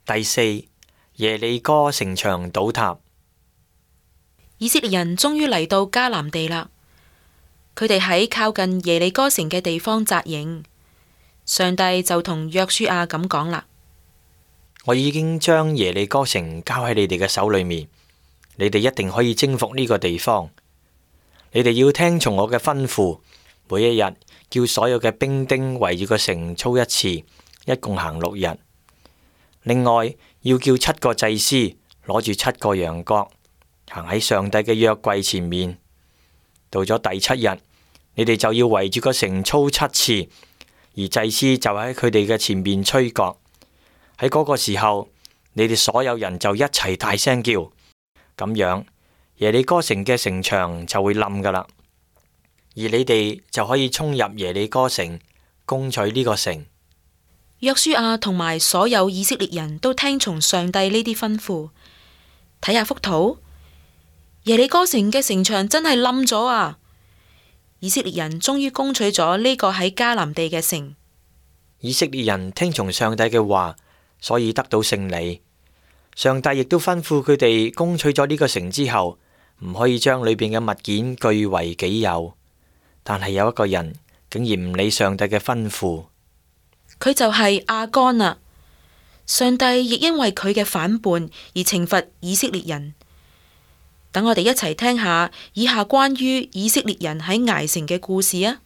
第四，耶利哥城牆倒塌。以色列人終於嚟到迦南地啦。佢哋喺靠近耶利哥城嘅地方紮營。上帝就同約書亞咁講啦：我已經將耶利哥城交喺你哋嘅手裏面，你哋一定可以征服呢個地方。你哋要聽從我嘅吩咐，每一日叫所有嘅兵丁圍住個城操一次，一共行6日。另外要叫7個祭司攞住7個羊角，行喺上帝嘅約櫃前面。到咗第7日，你哋就要圍住個城操7次，而祭司就喺佢哋嘅前面吹角。喺嗰個時候，你哋所有人就一齊大聲叫，咁樣耶利哥城嘅城牆就會冧噶啦，而你哋就可以衝入耶利哥城，攻取呢個城。約書亞同埋所有以色列人都聽從上帝呢啲吩咐。睇下幅圖，耶利哥城嘅城牆真係冧咗啊！以色列人終於攻取咗呢個喺迦南地嘅城。以色列人聽從上帝嘅話，所以得到勝利。上帝亦都吩咐佢哋攻取咗呢個城之後，唔可以將裏邊嘅物件據為己有。但係有一個人竟然唔理上帝嘅吩咐，佢就係亞干啊！上帝亦因為佢嘅反叛而懲罰以色列人。等我哋一齊聽下以下關於以色列人喺艾城嘅故事啊！